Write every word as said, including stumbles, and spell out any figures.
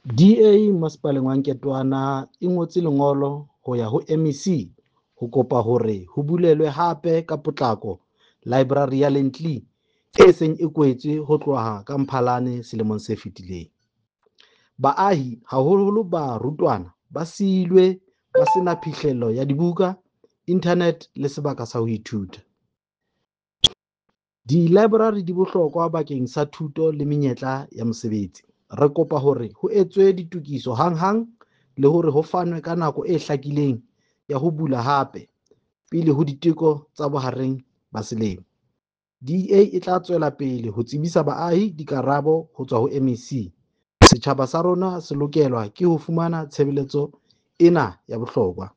D A Masepaleng wa Nketoana e ngotse lengolo ho ya ho M E C ho kopa hore ho bulelwe hape ka potlako laeborari ya Lentleng e seng e kwetswe ho tloha ka Mphalane selemong se fetileng. Baahi, haholoholo barutwana, ba siilwe ba sena phihlello ya dibuka, inthanete le sebaka sa ho ithuta. Dilaeborari di bohlokwa bakeng sa thuto le menyetla ya mosebetsi. Re kopa hore ho etswe ditokiso hanghang le hore ho fanwe ka nako e hlakileng ya ho bula hape pele ho diteko tsa bohareng ba selemo. D A e tla tswela pele ho tsebisa baahi dikarabo ho tswa ho M E C. Setjhaba sa rona se lokelwa ke ho fumana tshebeletso ena ya bohlokwa.